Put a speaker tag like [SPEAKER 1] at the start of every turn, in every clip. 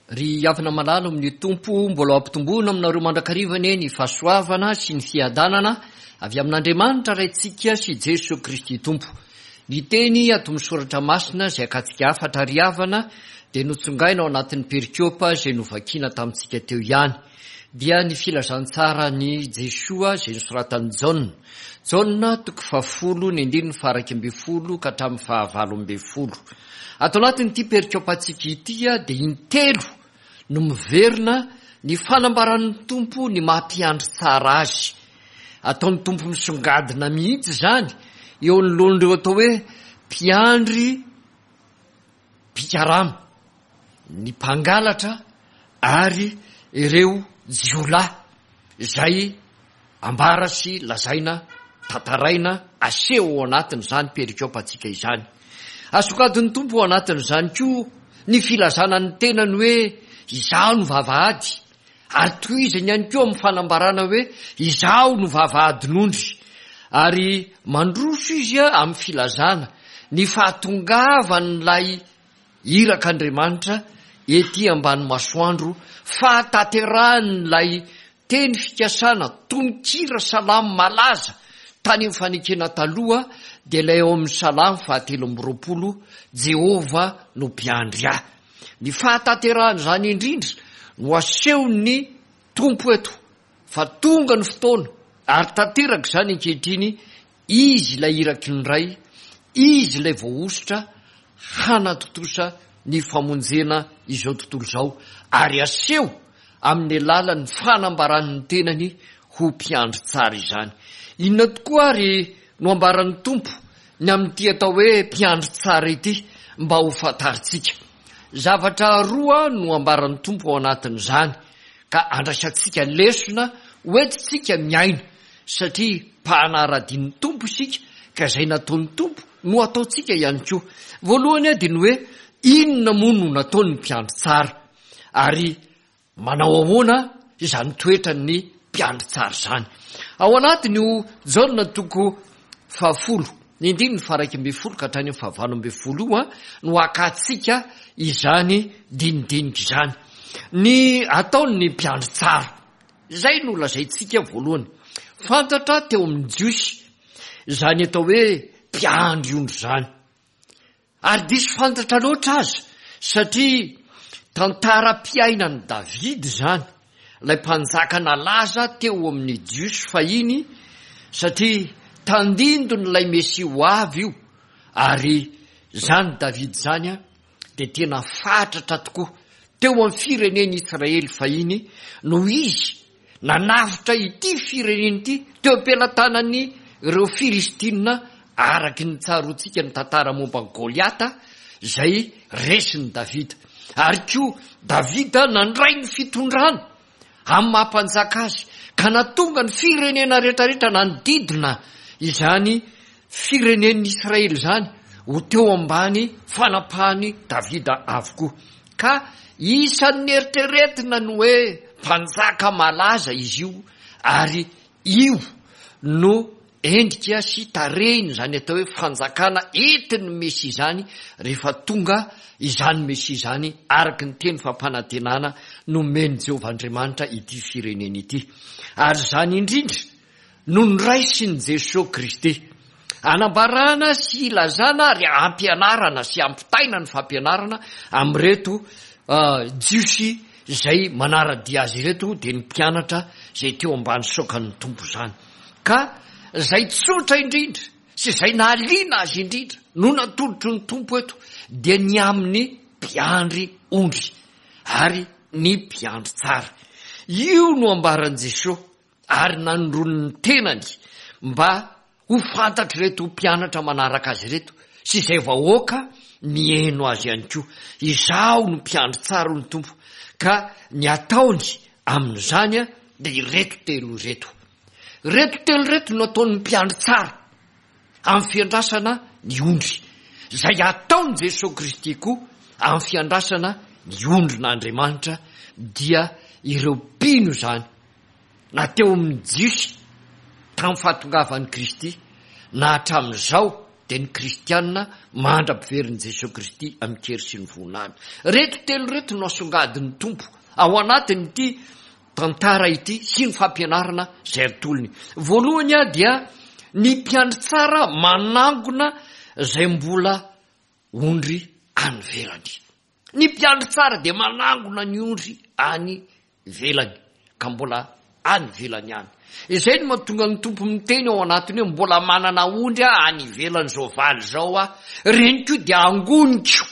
[SPEAKER 1] Ry havana malala ao amin'ny Tompo, mbola ho ampitomboina aminareo mandrakariva anie ny fahasoavana sy ny fiadanana avy amin'Andriamanitra Raintsika sy Jesoa Kristy Tompo. Ny teny ato amin'ny Soratra Masina izay akatsika hafatra ry havana dia notsongaina ao anatin'ny perikopa izay novakiana tamintsika teo ihany. Dia ny filazantsaran'i Jesoa izay nosoratan'i Jaona. Jaona toko fahafolo ny andininy faha 11 ka hatramin'ny faha 18. Ato anatin'ity perikopantsika ity dia intelo no miverina ny fanambaran'ny Tompo ny maha mpiandry tsara azy. Ataon'ny Tompo misongadina mihitsy izany eo anoloan'ireo atao hoe mpiandry mpikarama, ny mpangalatra ary ireo jiolahy izay ambara sy lazaina, tantaraina, aseho ao anatin'izany perikopantsika izany. Asongadin'ny Tompo ao anatin'izany koa ny filazana ny tenany hoe izaho no vavahady, ary tohizany ihany koa amin'ny fanambarana hoe izaho no vavahadin'ondry, ary mandroso izy amin'ny filazana ny fahatongavan'ilay irak'Andriamanitra ety ambany masoandro, fahatanterahan'ilay Teny fikasana, tononkira salamo malaza tany amin'ny fanekena taloha dia ilay ao amin'ny Salamo fahatelo 23, Jehovah no mpiandry ahy. Ny fahatanterahan'izany indrindra no asehon'ny Tompo eto fa tonga ny fotoana ary tanteraka izany ankehitriny Izy ilay iraky ny Ray, Izy ilay voahosotra hanatontosa ny famonjena izao tontolo izao ary aseho amin'ny alalan'ny fanambarany ny tenany ho mpiandry tsara izany. Inona tokoa ary no ambaran'ny Tompo ny amin'ity atao hoe mpiandry tsara ity mba ho fantarintsika? Zavatra roa no ambaran'ny Tompo ao anatin'izany ka andraisantsika lesona hoentintsika miaina satria mpanara-dia ny Tompo isika ka izay nataon'ny Tompo no ataontsika ihany koa. Voalohany dia ny hoe inona moa no nataon'ny mpiandry tsara ary manao ahoana izany toetran'ny mpiandry tsara izany. Ao anatin'io Jaona toko fahafolo, ny andininy faha 11 ka hatrany amin'ny faha 18 io no hakantsika izany dinidinika izany. Ny ataon'ny mpiandry tsara. Izay no lazaintsika voalohany. Fantatra teo amin'ny Jiosy izany atao hoe mpiandry ondry izany. Ary diso fantatra loatra aza, satria tantaram-piainan'i Davida izany, ilay mpanjaka nalaza teo amin'ny Jiosy fahiny, satria tandindon'ilay Mesia ho avy io, ary izany Davida izany dia tena fatratra tokoa teo amin'ny firenen'i Israely fahiny noho izy nanavotra ity firenena ity teo am-pelatanan'ny ireo Filistina araky ny tsaroantsika ny tantara momba an'i Goliata izay resin'i Davida. Ary koa Davida nandray ny fitondrana amin'ny maha mpanjaka azy ka nahatonga ny firenena rehetrarehetra nanodidina izany firenen'ny Israely izany ho teo ambany fanapahan'i Davida avokoa. Ka isan'ny eritreretina ny hoe mpanjaka malaza izy io ary io no endrika sy tarehiny izany atao hoe fanjakana entin'ny Mesia izany rehefa tonga izany Mesia izany araka ny teny fampanantenana nomen'i Jehovah Andriamanitra ity firenena ity. Ary izany indrindra no noraisin'i Jesoa Kristy. Anambarana sy ilazana ary ampianarana sy ampitaina ny fampianarana amin'ireto Jiosy izay manara-dia azy ireto dia ny mpianatra izay teo ambany saokan'ny Tompo izany. Ka izay tsotra indrindra sy izay nahaliana azy indrindra no natolotry ny Tompo eto dia ny amin'ny mpiandry ondry ary ny mpiandry tsara. Io no ambaran'i Jesoa ary nanondroany ny tenany mba ho fantatr'ireto mpianatra manaraka azy ireto sy izay vahoaka mihaino azy ihany koa. Izaho no mpiandry tsara hoy ny Tompo ka ny ataony amin'izany dia ireto telo ireto. Ireto telo ireto no ataon'ny mpiandry tsara amin'ny fiandrasana ny ondry. Izay ataon'i Jesoa Kristy koa amin'ny fiandrasana ny ondrin'Andriamanitra dia ireo mpino izany na teo amin'ny Jiosy tamin'ny fahatongavan'i Kristy na hatramin'izao. dia ny kristiana mandra-piverin'i Jesoa Kristy amin-kery sy ny voninahiny. Ireto telo ireto no asongadin'ny Tompo ao anatin'ity tantara ity sy ny fampianarana izay atolony. Voalohany dia ny mpiandry tsara manangona izay mbola ondry any ivelany. Ny mpiandry tsara dia manangona ny ondry any ivelany, ka mbola any ivelany ihany. Izay no mahatonga ny Tompo miteny ao anatiny hoe mbola manana ondry aho any ivelan'izao valy izao aho, ireny koa dia angoniko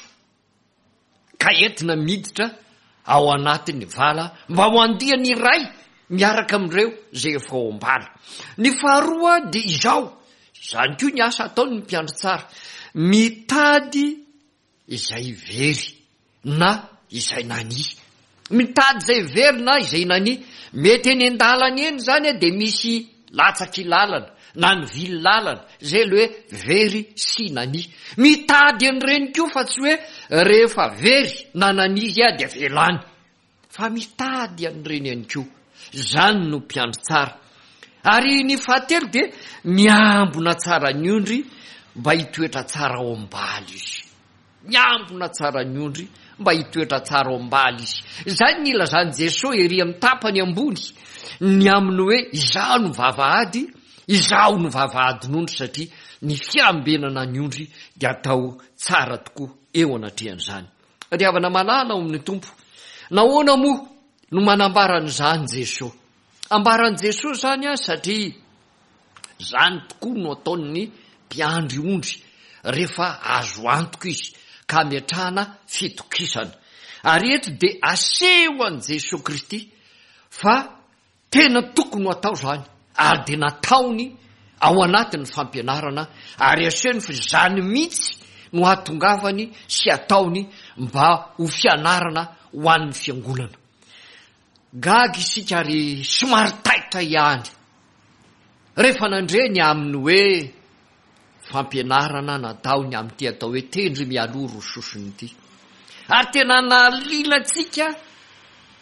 [SPEAKER 1] ka entina miditra ao anatin'ny vala mba ho andiany iray miaraka amin'ireo izay efa ao am-bala. Ny faharoa dia izao, izany koa ny asa ataon'ny mpiandry tsara, mitady izay very na izay nania. Mitady izay very na izay nania. Mety eny an-dalana eny izany dia misy latsaky lalana na nivily lalana, izay ilay hoe very sy nania. Mitady an'ireny koa fa tsy hoe rehefa very na nania izy dia avela any. Fa mitady an'ireny ihany koa. Izany no mpiandry tsara. Ary ny fahatelo dia miambina tsara ny ondry mba hitoetra tsara ao am-bala izy. Miambina tsara ny ondry mba hitoetra tsara ao am-bala izy. Izany ny ilazan'i Jesoa ery amin'ny tapany ambony ny amin'ny hoe izaho no vavahady, izaho no vavahadin'ondry satria ny fiambenana ny ondry dia atao tsara tokoa eo anatrehan'izany. Ry havana malala ao amin'ny Tompo, nahoana moa no manambara an'izany Jesoa? Ambaran'i Jesoa izany an, satria izany tokoa no ataon'ny mpiandry ondry rehefa azo antoka izy ka ametrahana fitokisana. Ary eto dia aseho an'i Jesoa Kristy fa Tena tokony ho atao izany ary dia nataony ao anatin'ny fampianarana ary asehony fa izany mihitsy no hahatongavany sy ataony mba ho fianarana ho an'ny fiangonana. Gaga isika ary somary taitra ihany rehefa nandre ny amin'ny hoe fampianarana natao ny amin'ity atao hoe tendry mialoha roa sosony ity. Ary tena nahaliana antsika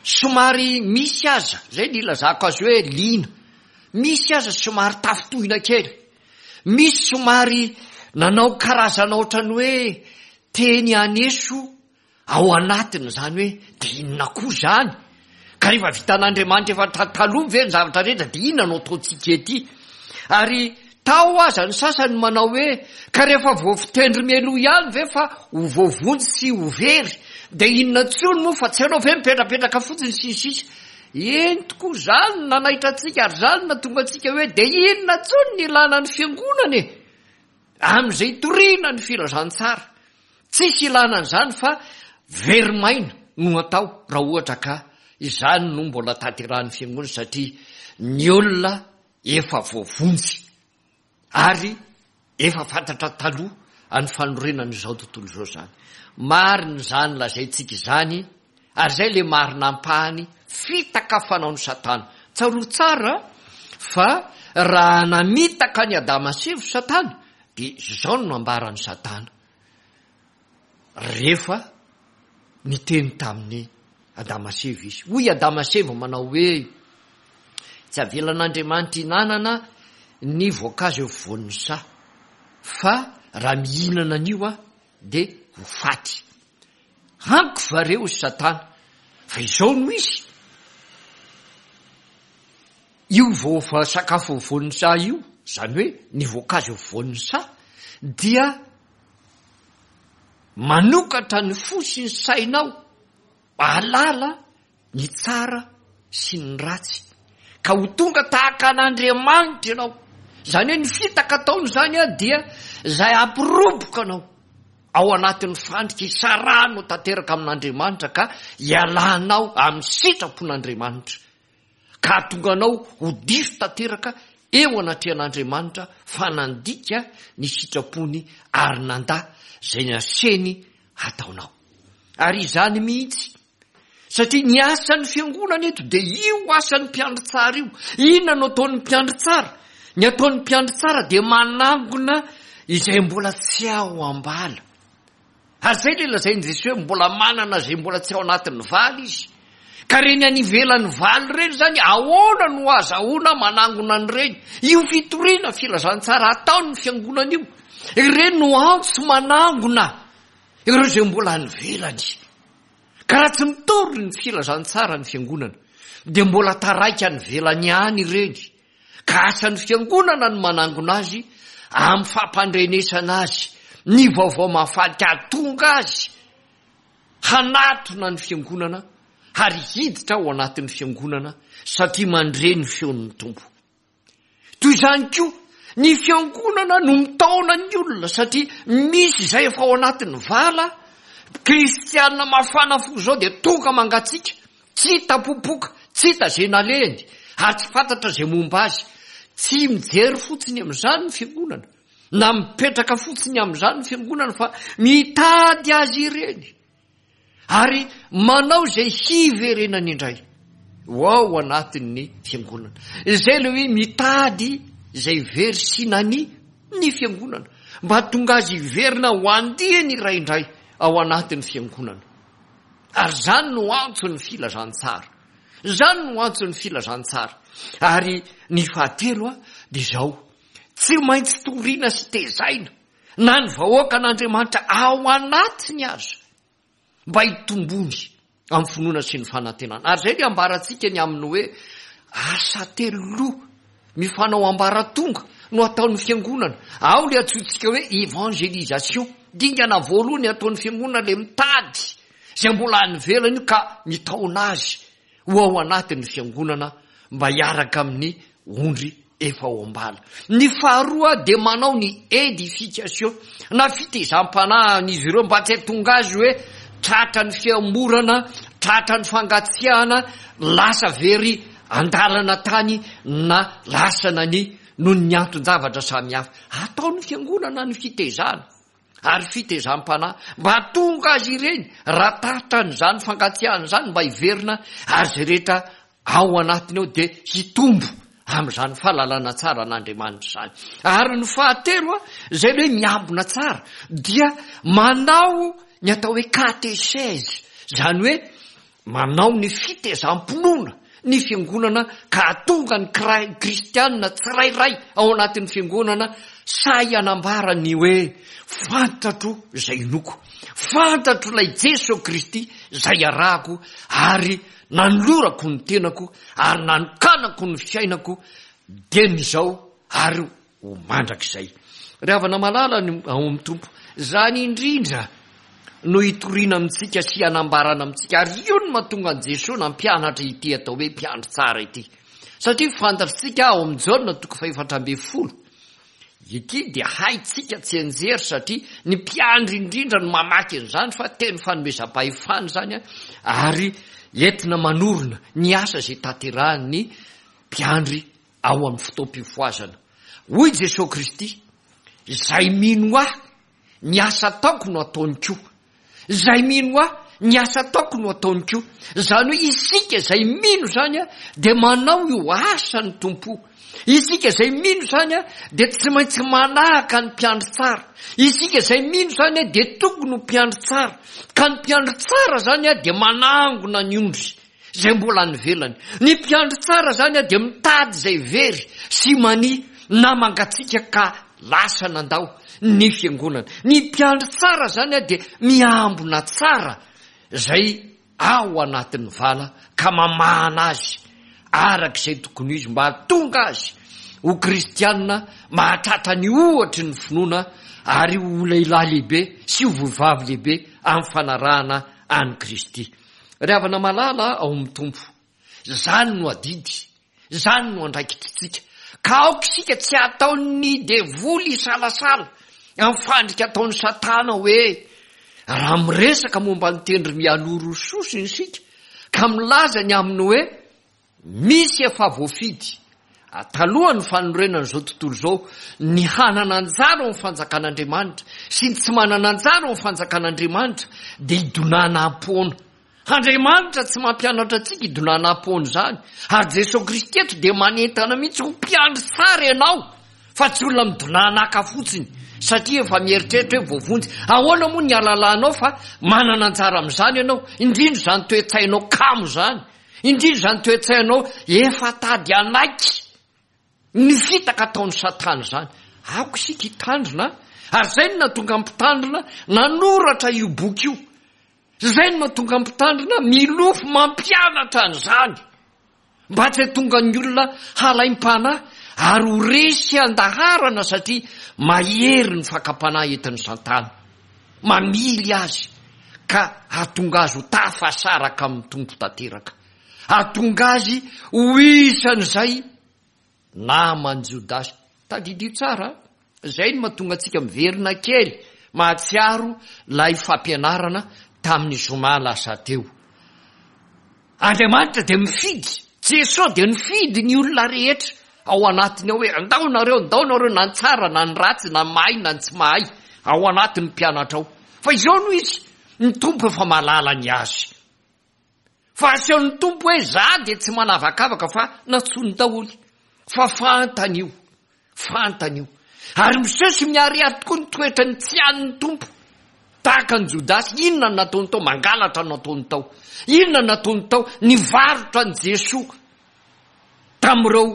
[SPEAKER 1] somary misy aza, izay ny ilazako azy hoe liana, misy aza somary tafintohina kely, misy somary nanao karazana ohatran'ny hoe teny haneso Ao anatiny izany hoe dia inona koa izany? Ka rehefa vitan'Andriamanitra efa taloha ve ny zavatra rehetra dia inona no ataontsika ety? Ary tao aza ny sasany manao hoe ka rehefa voafitendry mialoha ihany ve fa ho voavonjy sy ho very dia inona intsony moa fa tsy anao ve mipetrapetraka fotsiny sy ny sisa. Eny tokoa izany no nanaitra antsika ary izany no nahatonga antsika hoe dia inona intsony ny ilana ny fiangonana e? Amin'izay itoriana ny filazantsara. Tsisy ilana an'izany fa very maina no atao raha ohatra ka izany no mbola tanterahan'ny fiangonana satria ny olona efa voavonjy ary efa fantatra taloha any fanorenana izao tontolo izao izany. Marina izany lazaintsika izany ary izay le marina ampahany fitaka fanaon'i Satana. Tsarovy tsara fa raha namitaka an'i Adama sy Eva Satana dia izao no nambaran'i Satana. Rehefa niteny tamin'i Adama sy Eva izy. Hoy Adama sy Eva manao hoe, Tsy avelan'Andriamanitra hinanana ny voankazo eo afovoan'ny saha, fa raha mihinana an'io aho dia ho faty. Amiko va re, hoy Satana, fa izao no izy? Io vao sakafo afovoan'ny saha io, izany hoe ny voankazo afovoan'ny saha, dia manokatra ny fo sy ny sainao hahalala ny tsara sy ny ratsy, ka ho tonga tahaka an'Andriamanitra ianao. Izany hoe ny fitaka ataony izany dia izay hampiroboka anao ao anatin'ny fandrika hisarahanao tanteraka amin'Andriamanitra ka hialanao amin'ny sitrapon'Andriamanitra. ka hahatonga anao ho diso tanteraka eo anatrehan'Andriamanitra fa nandika ny sitrapony ary nandà izay naseny hataonao. Ary izany mihitsy, satria ny asan'ny fiangonana eto dia io asan'ny mpiandry tsara io. Inona no ataon'ny mpiandry tsara? Ny ataon'ny mpiandry tsara dia manangona izay mbola tsy ao am-bala. Ary izay ilay lazain'i Jesoa hoe mbola manana izay mbola tsy ao anatin'ny vala izy. Ka ireny any ivelan'ny valo ireny izany, ahoana no azahoana manangona an'ireny? Io fitoriana filazantsara ataon'ny fiangonana io, ireny no antso manangona ireo izay mbola any ivelany. Ka raha tsy mitory ny filazantsara ny fiangonana, dia mbola taraiky any ivelany ihany ireny. Ka asan'ny fiangonana ny manangona azy amin'ny fampandrenesana azy ny vaovao mahafaly ka hahatonga azy hanatona ny fiangonana ary hiditra ao anatin'ny fiangonana satria mandre ny feon'ny Tompo. Toy izany koa, ny fiangonana no mitaona ny olona satria misy izay efa ao anatin'ny vala, kristiana mafana fo izao dia tonga mangatsiaka, tsy hita popoka, tsy hita izay nalehany ary tsy fantatra izay momba azy. Tsy mijery fotsiny amin'izany ny fiangonana na mipetraka fotsiny amin'izany ny fiangonana fa mitady azy ireny. Ary manao izay hiverenany indray ho ao anatin'ny fiangonana. Izay ilay hoe mitady izay very sy nania ny fiangonana, mba hahatonga azy hiverina ho andiany iray indray ao anatin'ny fiangonana. Ary izany no antson'ny filazantsara. Izany no antson'ny filazantsara. Ary ny fahatelo dia izao, tsy maintsy toriana sy tezaina na ny vahoakan'Andriamanitra ao anatiny aza, mba hitombony amin'ny finoana sy ny fanantenana. Ary izay ny ambarantsika ny amin'ny hoe asa teloloha mifanao ambaratonga no ataon'ny fiangonana. Ao ilay antsointsika hoe évangélisation. Dingana voalohany ataon'ny fiangonana ilay mitady izay mbola any ivelany io ka mitaona azy ho ao anatin'ny fiangonana mba hiaraka amin'ny ondry efa ao am-bala. Ny faharoa dia manao ny édification na fitezam-panahy an'izy ireo mba tsy hahatonga azy hoe tratra ny fihamorana, tratra ny fangatsiahana, lasa very an-dalana tany na lasa nania noho ny anton-javatra samihafa. Ataon'ny fiangonana ny fitezana. ary fitezam-panahy mba hahatonga azy ireny raha tratran'izany fankatsiahana izany mba hiverina ary izay rehetra ao anatiny ao dia hitombo amin'izany fahalalana tsara an'Andriamanitra izany. Ary ny fahatelo, izay le hoe miambina tsara, dia manao ny atao hoe kateseze, izany hoe Manao ny fitezam-pinoana ny fiangonana ka hahatonga ny kristiana tsirairay ao anatin'ny fiangonana sahy hanambara ny hoe, Fantatro izay inoako, fantatro ilay Jeso Kristy izay arahako ary nanolorako ny tenako ary nanokanako ny fiainako dieny izao ary ho mandrakizay. Ry havana malala ny ao amin'ny Tompo, izany indrindra no hitoriana amintsika sy hanambarana amintsika, ary io no mahatonga an'i Jesoa nampianatra ity atao hoe mpiandry tsara ity. Satria fantatritsika ao amin'ny Jaona toko fahefatra ambin'ny folo, ity dia haintsika tsianjery satria ny mpiandry indrindra no mamaky an'izany fa teny fanomezam-pahefana izany ary entina manorina ny asa izay tanterahin'ny mpiandry ao amin'ny fotoam-pifohazana. Hoy Jesoa Kristy, Izay mino Ahy, ny asa ataoko no ataony koa. Izay mino Ahy, ny asa ataoko no ataony koa. Izany hoe isika izay mino izany dia manao io asan'ny Tompo. Isika izay mino izany dia tsy maintsy manahaka ny mpiandry tsara. Isika izay mino izany dia tokony ho mpiandry tsara. Ka ny mpiandry tsara izany dia manangona ny ondry. izay mbola any ivelany. Ny mpiandry tsara izany dia mitady izay very sy mania na mangatsiaka ka lasa nandao ny fiangonana. Ny mpiandry tsara izany dia miambina tsara izay ao anatin'ny vala ka mamahana azy araka izay tokony ho izy mba hahatonga azy ho kristiana mahatratra ny ohatry ny finoana ary ho lehilahy lehibe sy ho vehivavy lehibe amin'ny fanarahana an'i Kristy. Ry havana malala ao amin'ny Tompo, izany no adidy, izany no andraikitritsika. Ka aoka isika tsy hataon'ny devoly hisalasala amin'ny fandrika ataon'i Satana hoe raha miresaka momba ny tendry mialoha sosony isika ka milaza ny amin'ny hoe Misy efa voafidy, talohan'ny fanorenan'izao tontolo izao, ny hanana anjara ao amin'ny fanjakan'Andriamanitra sy ny tsy manana anjara ao amin'ny fanjakan'Andriamanitra dia hidonana am-poana. Andriamanitra tsy mampianatra antsika hidonana am-poana izany, ary Jesoa Kristy eto dia manentana mihitsy ho mpiandry tsara ianao fa tsy olona midonanaka fotsiny satria efa mieritreritra hoe voavonjy. Ahoana moa ny halalanao fa manana anjara amin'izany ianao, indrindra izany toe-tsainao kamo izany. Indrindra izany toe-tsainao efa tady hanaiky ny fitaka ataon'i Satana izany. Aoka isika hitandrina, ary izay no nahatonga ny mpitandrina nanoratra io boky io. Izay no mahatonga ny mpitandrina milofo mampianatra an'izany. Mba tsy hahatonga ny olona halaim-panahy ary ho resy an-daharana satria mahery ny fakam-panahy entin'i Satana. Mamily azy ka hahatonga azy ho tafasaraka amin'ny Tompo tanteraka. Hahatonga azy ho isan'izay naman'i Jodasy. Tadidio tsara an! Izay no mahatonga antsika miverina kely mahatsiaro ilay fampianarana tamin'ny zoma lasa teo. Andriamanitra dia mifidy, Jesoa dia nifidy ny olona rehetra ao anatiny ao hoe andao nareo, andao nareo na ny tsara na ny ratsy na ny mahay na ny tsy mahay ao anatin'ny mpianatra ao. Fa izao no izy, ny Tompo efa mahalala ny azy. Fa asehon'ny Tompo hoe za dia tsy manavakavaka fa nantsoiny daholo. Fa fantany io. Fantany io. Ary miseho sy miharihary tokoa ny toetrany tsy an'ny Tompo. Tahaka an'i Jodasy, inona no nataony tao? Mangalatra no nataony tao. Inona no nataony tao? Nivarotra an'i Jesoa tamin'ireo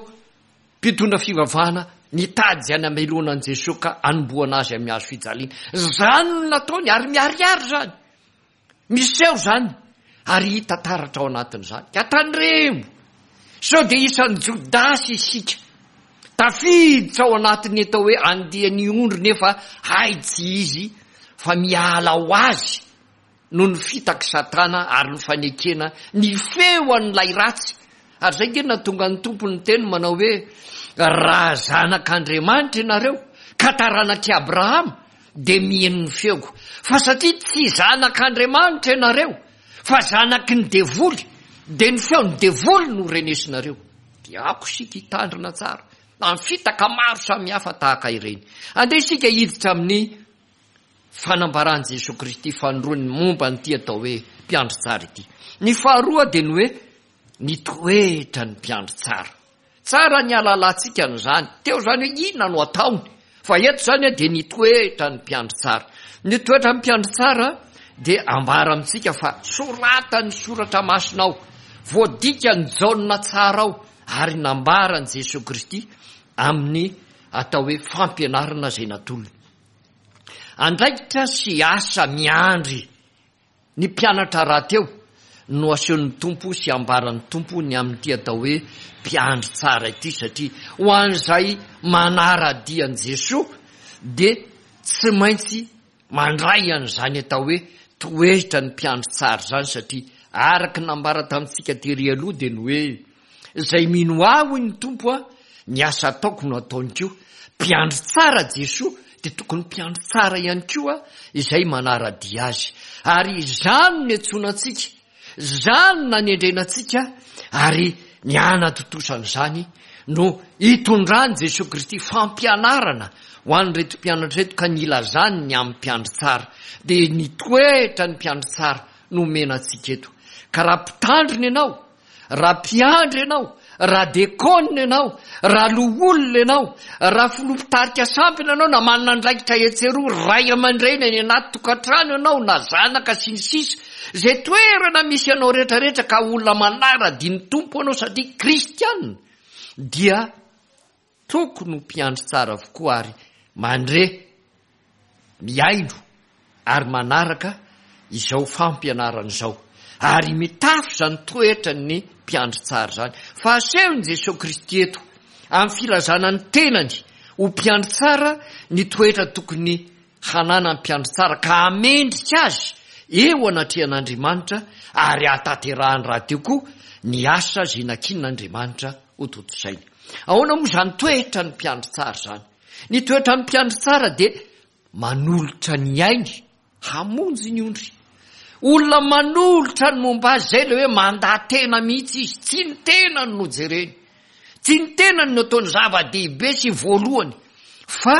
[SPEAKER 1] mpitondra fivavahana nitady izay namelona an'i Jesoa ka hanombohana azy amin'ny hazo fijaliana. Izany no nataony ary miharihary izany. Miseho izany ary hita taratra ao anatin'izany. Ka tandremo sao dia isan'i Jodasy isika, tafiditra ao anatin'ny atao hoe andian'ny ondry nefa hay tsy izy fa miala ho azy noho ny fitak'i Satana ary ny fanekena ny feo an'ilay ratsy. Ary izay ange no nahatonga ny Tompo niteny manao hoe, Raha zanak'Andriamanitra ianareo ka taranak'i Abrahama, dia miheno ny feoko. Fa satria tsy zanak'Andriamanitra ianareo, fa zanaky ny devoly, dia ny feon'ny devoly no renesinareo. Dia aoka isika hitandrina tsara amin'ny fitaka maro samihafa tahaka ireny. Andeha isika hiditra amin'ny fanambaran'i Jesoa Kristy fanindroany momba an'ity atao hoe mpiandry tsara ity. Ny faharoa dia ny hoe ny toetran'ny mpiandry tsara. Tsara ny hahalalantsika an'izany. Teo izany hoe inona no ataony. Fa eto izany dia ny toetran'ny mpiandry tsara. Ny toetran'ny mpiandry tsara dia ambara amintsika fa soratan'ny soratra masina ao, voadikan'i Jaona tsara ao ary nambaran'i Jesoa Kristy amin'ny atao hoe fampianarana izay natolony. Andraikitra sy asa miandry Ny mpianatra rahateo no asehon'ny Tompo sy ambaran'ny Tompo ny amin'ity atao hoe mpiandry tsara ity satria ho an'izay manara-dia an'i Jesoa dia tsy maintsy mandray an'izany atao hoe toetran'ny mpiandry tsara izany satria araka ny nambara tamintsika tery aloha dia ny hoe Izay mino Ahy, hoy ny Tompo, ny asa ataoko no ataony koa. Mpiandry tsara Jesoa, dia tokony mpiandry tsara ihany koa izay manara-dia Azy. Ary izany no niantsoana antsika, izany no nanendrena antsika, ary ny hanatontosana izany no hitondran'i Jesoa Kristy fampianarana ho an'ireto mpianatra ireto ka nilazany ny amin'ny mpiandry tsara. Dia ny toetra ny mpiandry tsara no omena antsika eto. Ka raha mpitandrina ianao, Raha mpiandry ianao, raha dekôna ianao, raha loholona ianao, raha filoha mpitarika sampana ianao na manana andraikitra etsy eroa, ray aman-dreny any anaty tokantrano ianao na zanaka sy ny sisa, izay toerana misy anao rehetra rehetra ka olona manara-dia ny Tompo ianao satria kristiana dia Tokony ho mpiandry tsara avokoa ary mandre, mihaino ary manaraka izao fampianarana izao ary mitafy izany toetran'ny mpiandry tsara izany. Fa asehon'i Jesoa Kristy eto amin'ny filazana ny tenany ho mpiandry tsara ny toetra tokony hananan'ny mpiandry tsara ka hamendrika azy eo anatrehan'Andriamanitra ary hahatanterahany rahateo koa ny asa izay nankinin'Andriamanitra hotontosainy. Ahoana moa izany toetran'ny mpiandry tsara izany? Ny toetran'ny mpiandry tsara dia manolotra ny ainy hamonjy ny ondry. Olona manolotra ny momba azy izay ilay hoe mandà tena mihitsy izy, tsy ny tenany no jereny. Tsy ny tenany no ataony zava-dehibe sy voalohany fa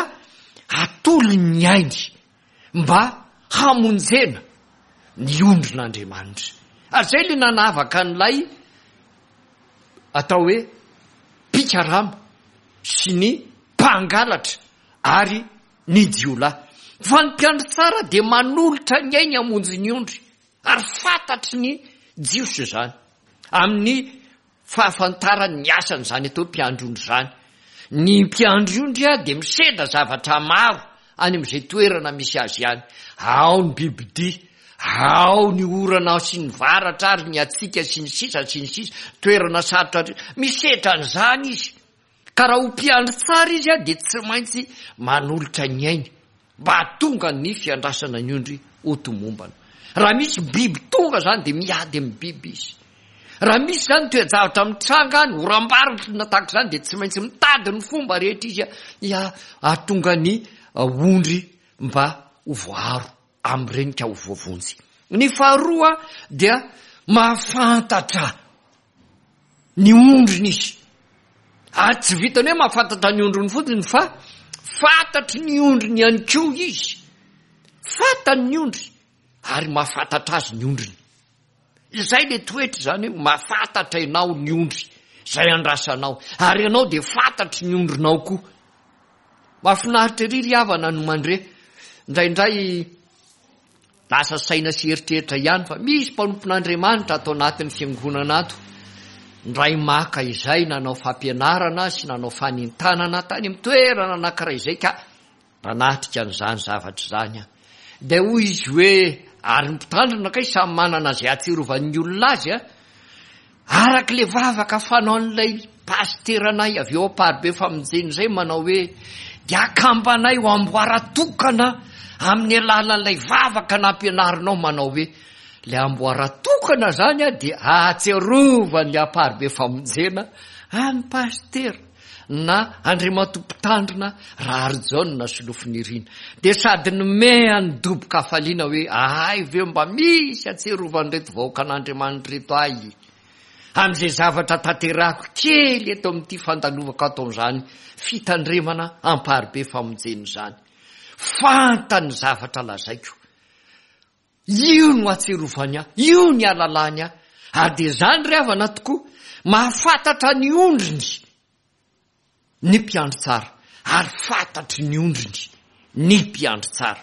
[SPEAKER 1] atolony ny ainy mba hamonjena ny ondrin'Andriamanitra. Ary izay ilay nanavaka an'ilay atao hoe mpikarama sy ny mpangalatra ary ny jiolahy. Fa ny mpiandry tsara dia manolotra ny ainy hamonjy ny ondry, ary fantatry ny Jiosy izany. Amin'ny fahafantarany ny asany izany atao hoe mpiandry ondry izany. Ny mpiandry ondry dia misedra zavatra maro any amin'izay toerana misy azy any. Ao ny bibidia, ao ny orana sy ny varatra ary ny hatsiaka sy ny sisa sy ny sisa, toerana sarotra, misedra an'izany izy. Ka raha ho mpiandry tsara izy dia tsy maintsy manolotra ny ainy mba hahatonga ny fiandrasana ny ondry ho tomombana. Raha misy biby tonga izany dia miady amin'ny biby izy. Raha misy izany toe-javatra mitranga any, oram-baratra na tahaka izany dia tsy maintsy mitady ny fomba rehetra izy hahatonga ny ondry mba ho voaaro amin'ireny ka ho voavonjy. Ny faharoa dia mahafantatra ny ondriny izy. Ary tsy vitany hoe mahafantatra ny ondriny fotsiny fa fantatry ny ondriny ihany koa izy. Fantany ny ondry ary mahafantatra azy ny ondriny. Izay le toetra izany hoe mahafantatra ianao ny ondry izay andrasanao ary ianao dia fantatry ny ondrinao koa. Mahafinaritra ery ry havana no mandre indraindray Lasa saina sy eritreritra ihany fa misy mpanompon'Andriamanitra ato anatin'ny fiangonana ato, indray maka izay nanao fampianarana sy nanao fanentanana tany amin'ny toerana anankiray izay ka nanatrika an'izany zavatra izany aho. Dia hoy izy hoe, ary ny mpitandrina kay samy manana izay ahatsiarovan'ny olona azy a, Araka ilay vavaka fanaon'ilay pasiteranay avy eo Amparibe Famonjena izay manao hoe, dia akambanay ho amboara tokana amin'ny alalan'ilay vavaka nampianarinao manao hoe, ilay amboara tokana izany dia ahatsiarovan'ny Amparibe Famonjena an'i pasitera na Andriamatoa Mpitandrina Raharijaona Solofonirina. Dia sady nomehany dobo-kafaliana hoe ahay ve mba misy atsiarovan'ireto vahoakan'Andriamanitra ireto ahy amin'izay zavatra tanterahako kely eto amin'ity fandalovako ato amin'izany fitandremana amparibe famonjena izany. Fantany ny zavatra lazaiko. Io no ahatsiarovany ahy, io ny ahalalany ahy. Ary dia izany ry havana tokoa, mahafantatra ny ondriny ny mpiandry tsara, ary fantatry ny ondriny ny mpiandry tsara.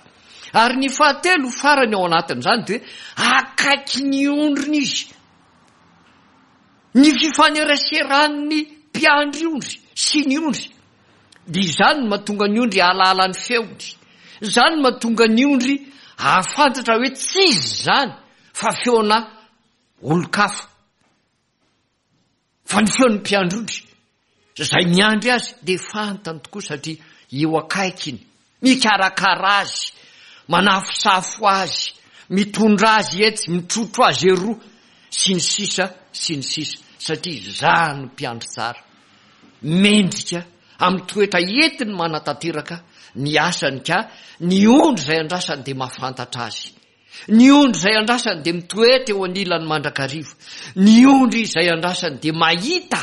[SPEAKER 1] Ary ny fahatelo farany ao anatin'izany dia hoe akaiky ny ondriny izy. Ny fifaneraseran'ny mpiandry ondry sy ny ondry dia izany no mahatonga ny ondry hahalala ny feony. Izany no mahatonga ny ondry hahafantatra hoe tsy izy izany fa feona olon-kafa. Fa ny feon'ny mpiandry ondry izay miandry azy dia fantany tokoa satria eo akaikiny, mikarakara azy, manafosafo azy, mitondra azy etsy, mitrotro azy eroa, sy ny sisa sy ny sisa, satria izaho no mpiandry tsara, mendrika amin'ny toetra entiny manatanteraka ny asany ka ny ondry izay andrasany dia mahafantatra azy. Ny ondry izay andrasany dia mitoetra eo anilany mandrakariva. Ny ondry izay andrasany dia mahita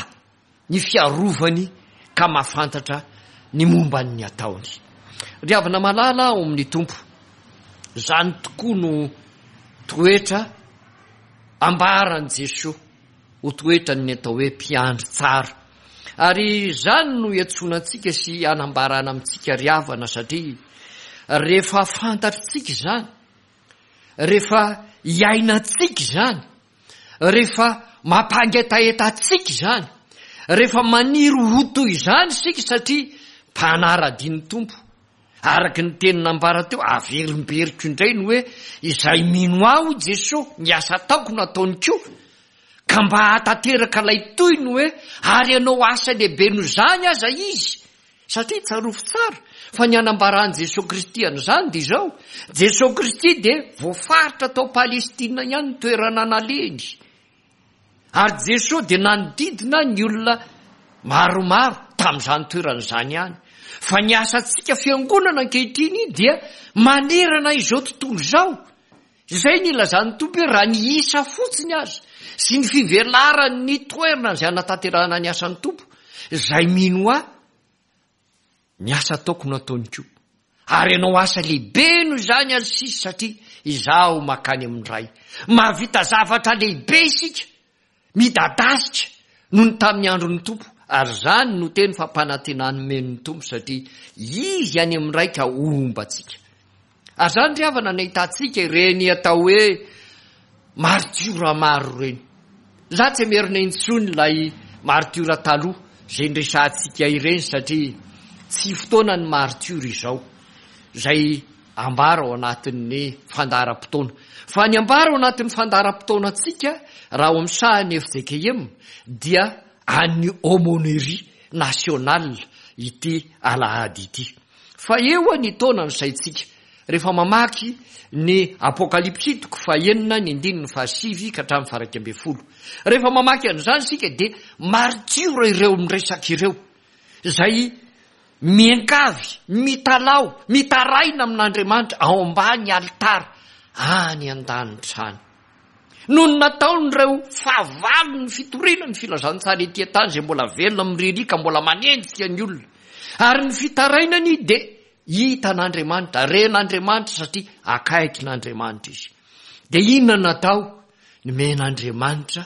[SPEAKER 1] ny fiarovany ka mahafantatra ny momba ny ataony. Ry havana malala ao amin'ny Tompo, izany tokoa no toetra ambaran'i Jesoa ho toetran'ny atao hoe mpiandry tsara. Ary izany no iantsoana antsika sy anambarana amintsika ry havana satria rehefa fantatritsika izany, rehefa iainantsika izany, rehefa mampangetaheta antsika izany, rehefa maniry ho toy izany isika satria mpanara-dia ny Tompo, araka ny teny nambara teo, averimberiko indray ny hoe izay mino ahy hoy Jesoa, ny asa ataoko no ataony koa, ka mba hahatanteraka ilay toy ny hoe ary hanao asa lehibe noho izany aza izy, Satria tsarovy tsara fa ny anambaran'i Jesoa Kristy an'izany dia izao, Jesoa Kristy dia voafaritra tao Palestina ihany ny toerana nalehiny. Ary Jesoa dia nanodidina ny olona maromaro tamin'izany toerana izany ihany. Fa ny asantsika fiangonana ankehitriny dia manerana izao tontolo izao. Izay ny ilazan'ny Tompo hoe raha ny isa fotsiny aza sy ny fivelaran'ny toerana izay hanatanterahana ny asan'ny Tompo, izay mino ahy, ny asa ataoko no ataony koa. Ary hanao asa lehibe noho izany aza sisa satria izaho makany amin'ny Ray. Mahavita zavatra lehibe isika Midadasika noho ny tamin'ny andron'ny Tompo, ary izany no teny fampanantenana nomen'ny Tompo satria Izy any amin'ny Ray ka homba antsika. Ary izany ry havana no ahitantsika ireny atao hoe maritiora maro ireny. Za tsy hamerina intsony ilay martiora taloha izay niresahantsika ireny satria tsy fotoana ny martiora izao izay ambara ao anatin'ny fandaharam-potoana. Fa ny ambara ao anatin'ny fandaharam-potoanantsika raha ao amin'ny sahan'ny fjkm dia an'ny aumônerie nationale ity alahady ity. Fa eo ny taona ny saintsika rehefa mamaky ny Apokalypsy toko fahenina ny andininy fahasivy ka hatramin'ny faha-iraika ambin'ny folo. Rehefa mamaky an'izany isika dia maritiora ireo miresaka ireo, izay miankavy, mitalaho, mitaraina amin'Andriamanitra ao ambany alitara any an-danitra any. Noho ny nataon'ireo fahavalon'ny fitoriana ny filazantsara ety an-tany izay mbola velona miririaka ka mbola manenjika ny olona. Ary ny fitarainany dia Hitan'Andriamanitra, ren'Andriamanitra satria akaikin'Andriamanitra izy. Dia inona no natao? Nomen'Andriamanitra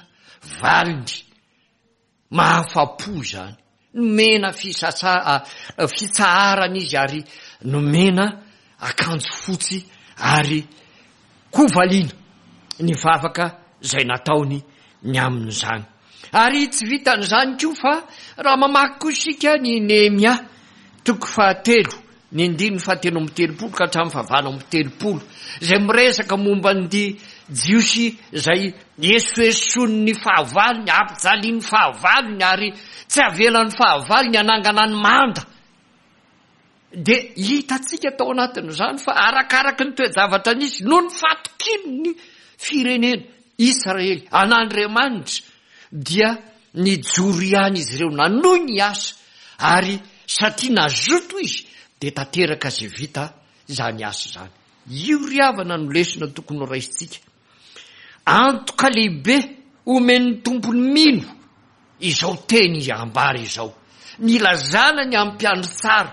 [SPEAKER 1] valiny mahafa-po izany. Nomena fisasa, fitsaharana izy ary nomena akanjo fotsy ary hovaliana ny vavaka izay nataony ny amin'izany. Ary tsy vitan'izany koa fa raha mamaky koa isika ny Nehemia toko fahatelo, ny andininy fahatelo amby telopolo ka hatramin'ny fahavalo amby telopolo, izay miresaka momba ny Jiosy izay esoesoin'ny fahavalony, ampijalian'ny fahavalony ary tsy avelan'ny fahavalony hanangana ny manda. Dia hitantsika tao anatin'izany fa arakaraky ny toe-javatra nisy noho ny fatokian'ny firenena Israely an'Andriamanitra dia nijoro ihany izy ireo nanohy ny asa ary satria nazoto izy dia tanteraka izay vita izany asa izany. Io ry havana no lesona tokony ho raisintsika. Antoka lehibe omen'ny Tompo ny mino izao teny ambara izao. Nilazana ny amin'ny mpiandry tsara,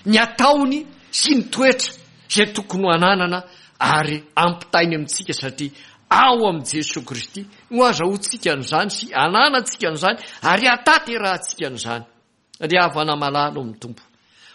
[SPEAKER 1] ny ataony sy ny toetra izay tokony ho ananana ary ampitainy amintsika satria ao amin'i Jesoa Kristy no azahoantsika an'izany sy ananantsika an'izany ary ahatanterahantsika an'izany. Ry havana malala ao amin'ny Tompo,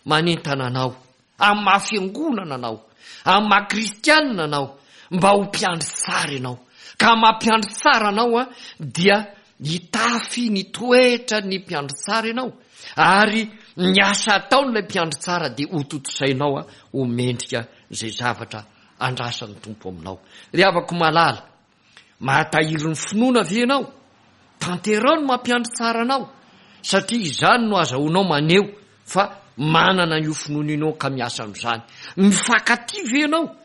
[SPEAKER 1] manentana anao amin'ny maha fiangonana anao, amin'ny maha kristianina anao, mba ho mpiandry tsara ianao. Ka amin'ny maha mpiandry tsara anao dia hitafy ny toetra ny mpiandry tsara ianao, ary ny asa ataon'ilay mpiandry tsara dia hotontosainao ho mendrika izay zavatra andrasan'ny Tompo aminao. Ry havako malala, Mahatahiry ny finoana ve ianao? Tanterao ny mampiandry tsara anao, satria izany no azahoanao maneho fa manana an'io finoana io ianao ka miasa amin'izany. Mifankatia ve ianao?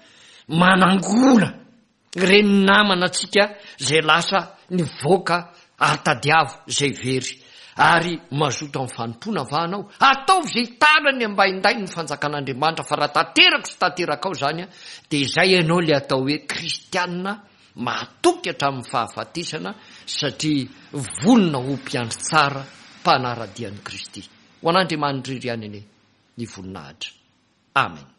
[SPEAKER 1] Manangona ireny namana antsika izay lasa nivoaka ary tadiavo izay very. Ary mazoto amin'ny fanompoana va anao? Ataovy izay hitanany ambaindainy ny fanjakan'Andriamanitra fa raha tanterako sy tanterakao izany dia izay ianao ilay atao hoe kristiana mahatoky hatramin'ny fahafatesana satria vonona ho mpiandry tsara mpanara-dia an'i Kristy. Ho an'Andriamanitra irery ihany anie ny voninahitra. Amen.